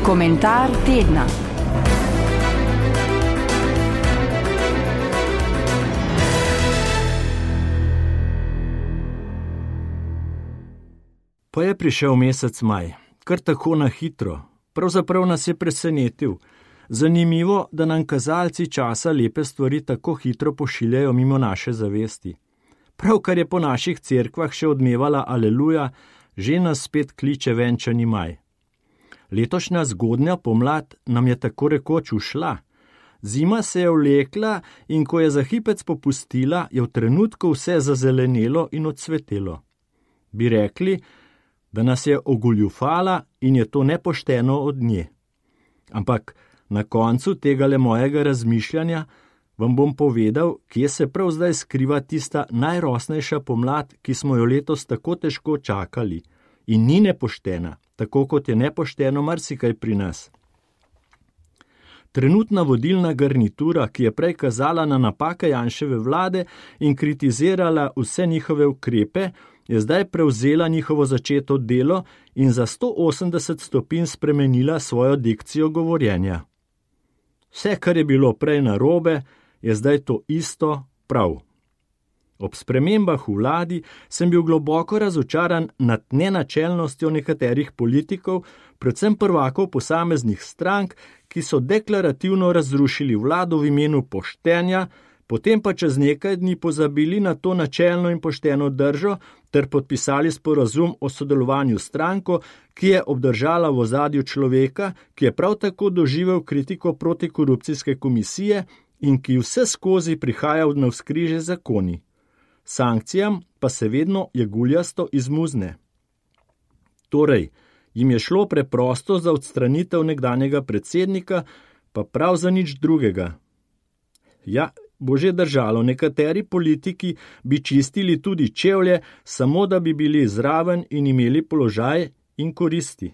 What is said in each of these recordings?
Komentar tedna. Pa je prišel mesec maj, kar tako na hitro. Pravzaprav nas je presenetil. Zanimivo, da nam kazalci časa lepe stvari tako hitro pošiljajo mimo naše zavesti. Pravkar je po naših cerkvah še odmevala aleluja, že nas spet kliče venčani maj. Letošnja zgodnja pomlad nam je tako rekoč ušla. Zima se je vlekla in ko je za hipec popustila, je v trenutku vse zazelenelo in odsvetelo. Bi rekli, da nas je ogoljufala in je to nepošteno od nje. Ampak na koncu tegale mojega razmišljanja vam bom povedal, kje se prav zdaj skriva tista najrosnejša pomlad, ki smo jo letos tako težko čakali. In ni nepoštena, tako kot je nepošteno marsikaj pri nas. Trenutna vodilna garnitura, ki je prej kazala na napake Janševe vlade in kritizirala vse njihove ukrepe, je zdaj prevzela njihovo začeto delo in za 180 stopinj spremenila svojo dikcijo govorjenja. Vse, kar je bilo prej narobe, je zdaj to isto prav. Ob spremembah v vladi sem bil globoko razočaran nad nenačelnostjo nekaterih politikov, predvsem prvakov posameznih strank, ki so deklarativno razrušili vlado v imenu poštenja, potem pa čez nekaj dni pozabili na to načelno in pošteno držo ter podpisali sporazum o sodelovanju s stranko, ki je obdržala v ozadju človeka, ki je prav tako doživel kritiko protikorupcijske komisije in ki vse skozi prihaja v navzkrižje zakoni. Sankcijam pa se vedno jeguljasto izmuzne. Torej, jim je šlo preprosto za odstranitev nekdanjega predsednika, pa prav za nič drugega. Ja, bo že držalo, nekateri politiki bi čistili tudi čevlje, samo da bi bili zraven in imeli položaj in koristi.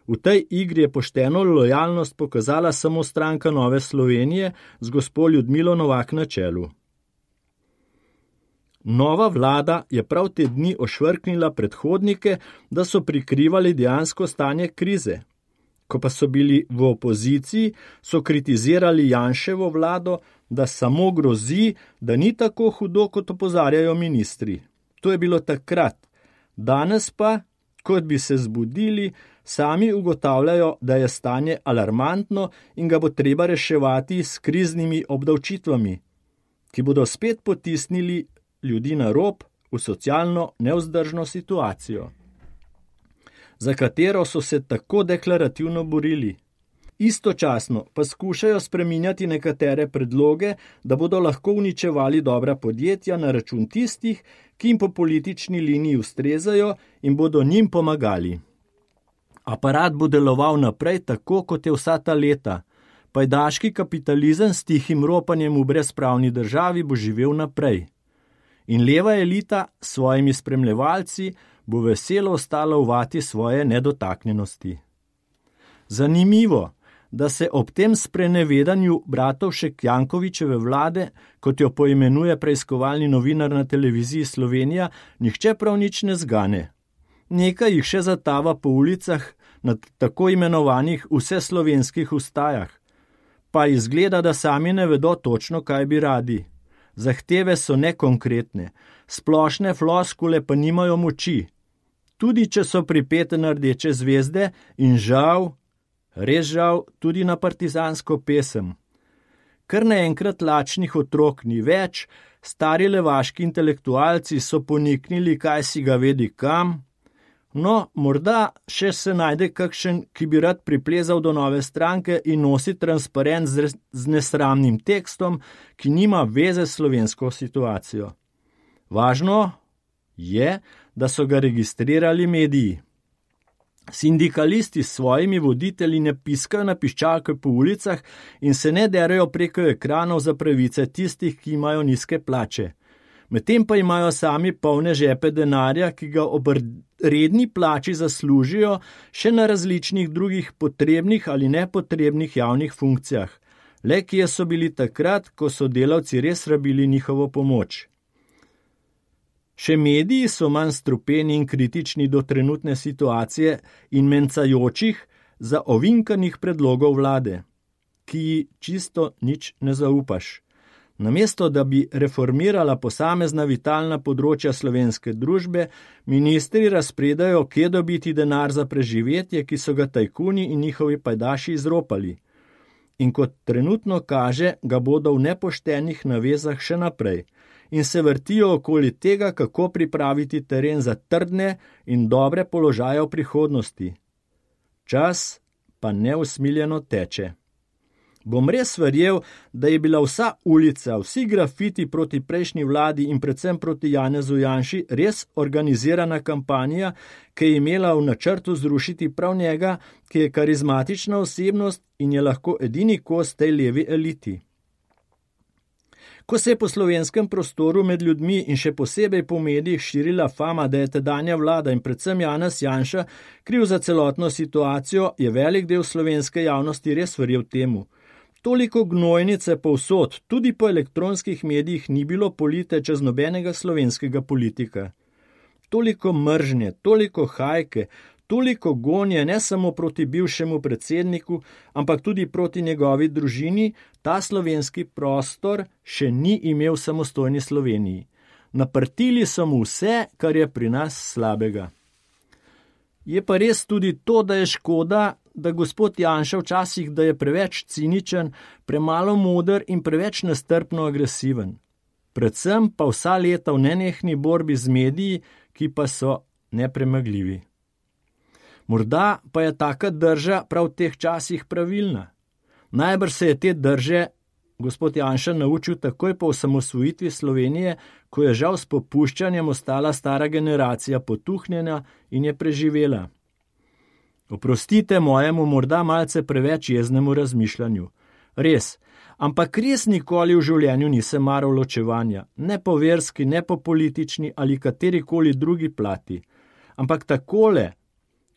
V tej igri je pošteno lojalnost pokazala samo stranka Nove Slovenije z gospo Ljudmilo Novak na čelu. Nova vlada je prav te dni ošvrknila predhodnike, da so prikrivali dejansko stanje krize. Ko pa so bili v opoziciji, so kritizirali Janševo vlado, da samo grozi, da ni tako hudo, kot opozarjajo ministri. To je bilo takrat. Danes pa, kot bi se zbudili, sami ugotavljajo, da je stanje alarmantno in ga bo treba reševati s kriznimi obdavčitvami, ki bodo spet potisnili ljudi na rob v socialno nevzdržno situacijo, za katero so se tako deklarativno borili. Istočasno pa skušajo spreminjati nekatere predloge, da bodo lahko uničevali dobra podjetja na račun tistih, ki jim po politični liniji ustrezajo in bodo njim pomagali. Aparat bo deloval naprej tako, kot je vsa ta leta. Pajdaški kapitalizem s tihim ropanjem v brezpravni državi bo živel naprej. In leva elita s svojimi spremljevalci bo veselo ostala v vati svoje nedotaknjenosti. Zanimivo, da se ob tem sprenevedanju Bratovšek Jankovićeve vlade, kot jo poimenuje preiskovalni novinar na televiziji Slovenija, nihče prav nič ne zgane. Nekaj jih še zatava po ulicah na tako imenovanih vseslovenskih ustajah, pa izgleda, da sami ne vedo točno, kaj bi radi. Zahteve so nekonkretne, splošne floskule pa nimajo moči. Tudi če so pripete na rdeče zvezde in žal, res žal, tudi na partizansko pesem. Kar naenkrat lačnih otrok ni več, stari levaški intelektualci so poniknili, kaj si ga vedi kam. No, morda še se najde kakšen, ki bi rad priplezal do nove stranke in nosi transparent z nesramnim tekstom, ki nima veze s slovensko situacijo. Važno je, da so ga registrirali mediji. Sindikalisti s svojimi voditelji ne piskajo na piščalke po ulicah in se ne derajo preko ekranov za pravice tistih, ki imajo nizke plače. Medtem pa imajo sami polne žepe denarja, ki ga ob redni plači zaslužijo še na različnih drugih potrebnih ali nepotrebnih javnih funkcijah. Le kje so bili takrat, ko so delavci res rabili njihovo pomoč. Še mediji so manj strupeni in kritični do trenutne situacije in mencajočih, za ovinkanih predlogov vlade, ki ji čisto nič ne zaupaš. Namesto, da bi reformirala posamezna vitalna področja slovenske družbe, ministri razpredajo, kje dobiti denar za preživetje, ki so ga tajkuni in njihovi pajdaši izropali. In kot trenutno kaže, ga bodo v nepoštenih navezah še naprej in se vrtijo okoli tega, kako pripraviti teren za trdne in dobre položaje v prihodnosti. Čas pa neusmiljeno teče. Bom res verjel, da je bila vsa ulica, vsi grafiti proti prejšnji vladi in predvsem proti Janezu Janši res organizirana kampanja, ki je imela v načrtu zrušiti prav njega, ki je karizmatična osebnost in je lahko edini kos tej levi eliti. Ko se je po slovenskem prostoru med ljudmi in še posebej po medijih širila fama, da je tedanja vlada in predvsem Janez Janša kriv za celotno situacijo, je velik del slovenske javnosti res verjel temu. Toliko gnojnice povsod, tudi po elektronskih medijih, ni bilo polite čez nobenega slovenskega politika. Toliko mržnje, toliko hajke, toliko gonje ne samo proti bivšemu predsedniku, ampak tudi proti njegovi družini, ta slovenski prostor še ni imel v samostojni Sloveniji. Naprtili so mu vse, kar je pri nas slabega. Je pa res tudi to, da je škoda, da gospod Janša včasih, da je preveč ciničen, premalo moder in preveč nestrpno agresiven. Predvsem pa vsa leta v nenehni borbi z mediji, ki pa so nepremagljivi. Morda pa je taka drža prav v teh časih pravilna. Najbrž se je te drže gospod Janša naučil takoj po osamosvojitvi Slovenije, ko je žal s popuščanjem ostala stara generacija potuhnjena in je preživela. Oprostite mojemu morda malce preveč jeznemu razmišljanju. Res, ampak res nikoli v življenju nisem maral ločevanja, ne po verski, ne po politični ali katerikoli drugi plati. Ampak takole,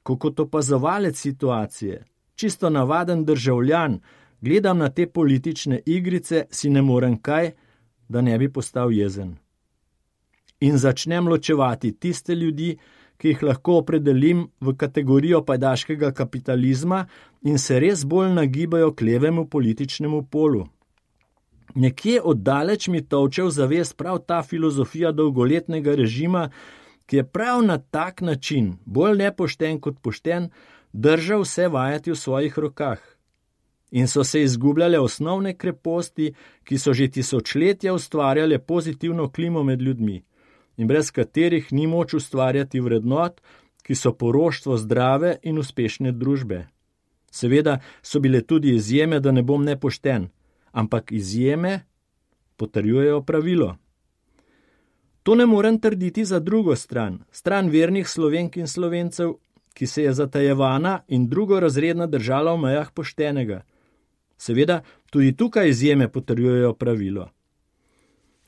kot opazovalec situacije, čisto navaden državljan, gledam na te politične igrice, si ne morem kaj, da ne bi postal jezen. In začnem ločevati tiste ljudi, ki jih lahko opredelim v kategorijo pajdaškega kapitalizma in se res bolj nagibajo k levemu političnemu polu. Nekje oddaleč mi tolče v zavest prav ta filozofija dolgoletnega režima, ki je prav na tak način, bolj nepošten kot pošten, držal vse vajati v svojih rokah. In so se izgubljale osnovne kreposti, ki so že tisočletja ustvarjale pozitivno klimo med ljudmi in brez katerih ni moč ustvarjati vrednot, ki so poroštvo zdrave in uspešne družbe. Seveda so bile tudi izjeme, da ne bom nepošten, ampak izjeme potrjujejo pravilo. To ne morem trditi za drugo stran, stran vernih Slovenk in Slovencev, ki se je zatajevana in drugorazredna držala v mejah poštenega. Seveda, tudi tukaj izjeme potrjujejo pravilo.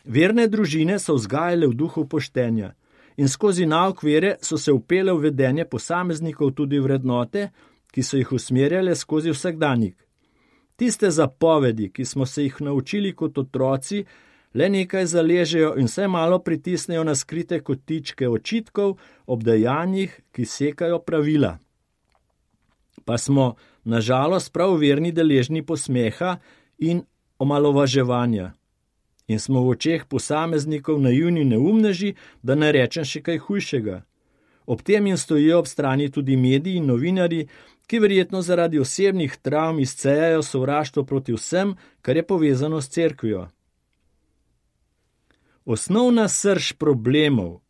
Verne družine so vzgajale v duhu poštenja in skozi nauk vere so se vpele v vedenje posameznikov tudi vrednote, ki so jih usmerjale skozi vsakdanjik. Tiste zapovedi, ki smo se jih naučili kot otroci, le nekaj zaležejo in vse malo pritisnejo na skrite kotičke očitkov ob dejanjih, ki sekajo pravila. Pa smo, nažalost, prav verni deležni posmeha in omalovaževanja. In smo v očeh posameznikov naivni neumneži, da ne rečem še kaj hujšega. Ob tem jim stojijo ob strani tudi mediji in novinarji, ki verjetno zaradi osebnih travm izcejajo sovraštvo proti vsem, kar je povezano s cerkvijo. Osnovna srž problemov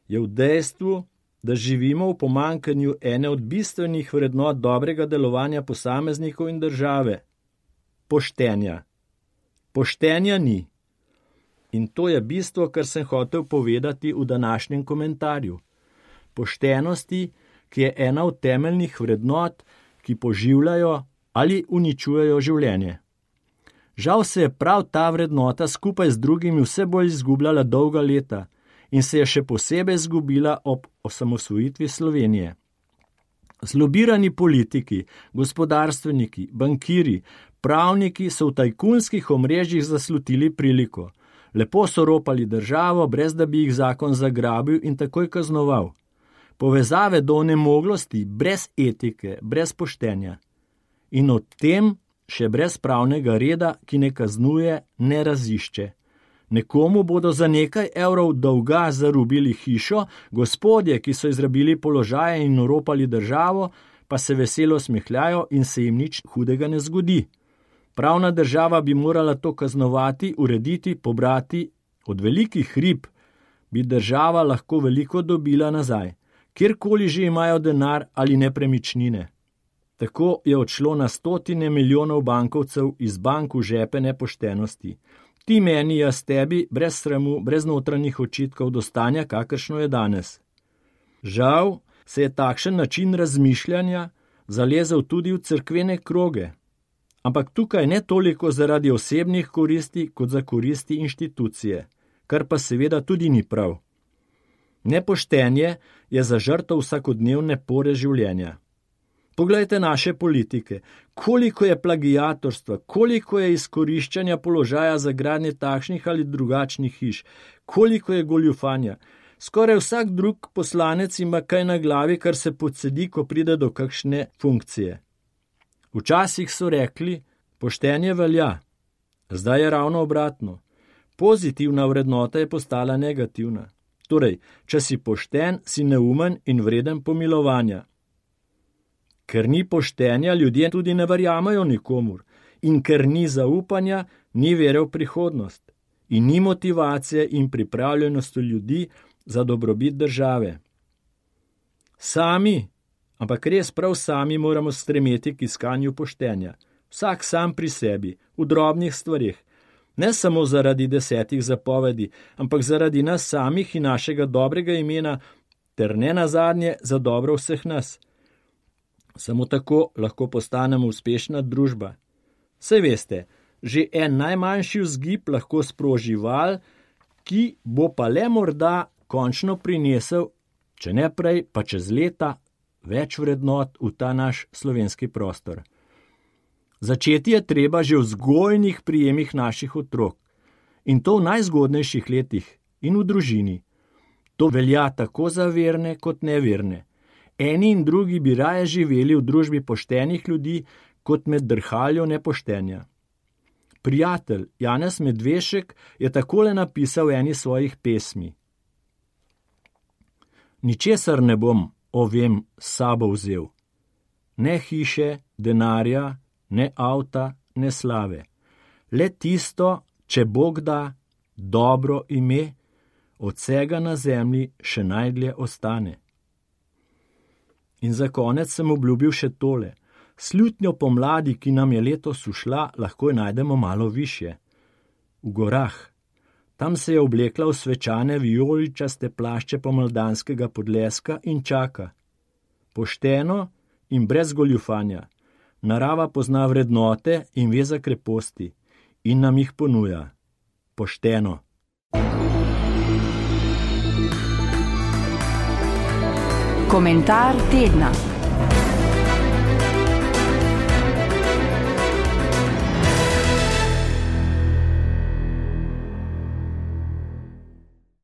je v dejstvu, da živimo v pomanjkanju ene od bistvenih vrednot dobrega delovanja posameznikov in države – poštenja. Poštenja ni. In to je bistvo, kar sem hotel povedati v današnjem komentarju. Poštenosti, ki je ena od temeljnih vrednot, ki poživljajo ali uničujejo življenje. Žal se je prav ta vrednota skupaj z drugimi vse bolj izgubljala dolga leta in se je še posebej izgubila ob osamosvojitvi Slovenije. Zlobirani politiki, gospodarstveniki, bankiri, pravniki so v tajkunskih omrežjih zaslutili priliko. Lepo so ropali državo, brez da bi jih zakon zagrabil in takoj kaznoval. povezave do onemoglosti, brez etike, brez poštenja. In o tem še brez pravnega reda, ki ne kaznuje, ne razišče. Nekomu bodo za nekaj evrov dolga zarubili hišo, gospodje, ki so izrabili položaje in oropali državo, pa se veselo smehljajo in se jim nič hudega ne zgodi. Pravna država bi morala to kaznovati, urediti, pobrati. Od velikih rib bi država lahko veliko dobila nazaj, kjerkoli že imajo denar ali nepremičnine. Tako je odšlo na stotine milijonov bankovcev iz bank v žepe nepoštenosti. Ti meni, jaz tebi, brez sramu, brez notranjih očitkov do stanja, kakršno je danes. Žal se je takšen način razmišljanja zalezel tudi v cerkvene kroge, ampak tukaj ne toliko zaradi osebnih koristi, kot za koristi inštitucije, kar pa seveda tudi ni prav. Nepoštenje je za žrtev vsakodnevne pore življenja. Poglejte naše politike, koliko je plagiatorstva, koliko je izkoriščanja položaja za gradnje takšnih ali drugačnih hiš, koliko je goljufanja. Skoraj vsak drug poslanec ima kaj na glavi, kar se podsedi, ko pride do kakšne funkcije. Včasih so rekli, poštenje velja, zdaj je ravno obratno. Pozitivna vrednota je postala negativna. Torej, če si pošten, si neumen in vreden pomilovanja. Ker ni poštenja, ljudje tudi ne verjamajo nikomur. In ker ni zaupanja, ni vere v prihodnost. In ni motivacije in pripravljenosti ljudi za dobrobit države. Sami, ampak res prav sami moramo stremeti k iskanju poštenja. Vsak sam pri sebi, v drobnih stvarih. Ne samo zaradi 10 zapovedi, ampak zaradi nas samih in našega dobrega imena, ter ne nazadnje za dobro vseh nas. Samo tako lahko postanemo uspešna družba. Saj veste, že en najmanjši vzgib lahko sproži val, ki bo pa le morda končno prinesel, če ne prej, pa čez leta, več vrednot v ta naš slovenski prostor. Začeti je treba že v vzgojnih prijemih naših otrok, in to v najzgodnejših letih in v družini. To velja tako za verne kot neverne. Eni in drugi bi raje živeli v družbi poštenih ljudi, kot med drhaljo nepoštenja. Prijatelj Janez Medvešek je takole napisal eni svojih pesmi. Ničesar ne bom, vem, s sabo vzel. Ne hiše, denarja, ne avta, ne slave. Le tisto, če Bog da, dobro ime, od vsega na zemlji še najdlje ostane. In za konec sem obljubil še tole. Slutnjo pomladi, ki nam je letos ušla, lahko najdemo malo višje. V gorah. Tam se je oblekla v svečane vijoličaste plašče pomladanskega podleska in čaka. Pošteno in brez goljufanja. Narava pozna vrednote in ve za kreposti in nam jih ponuja. Pošteno. Komentar tedna.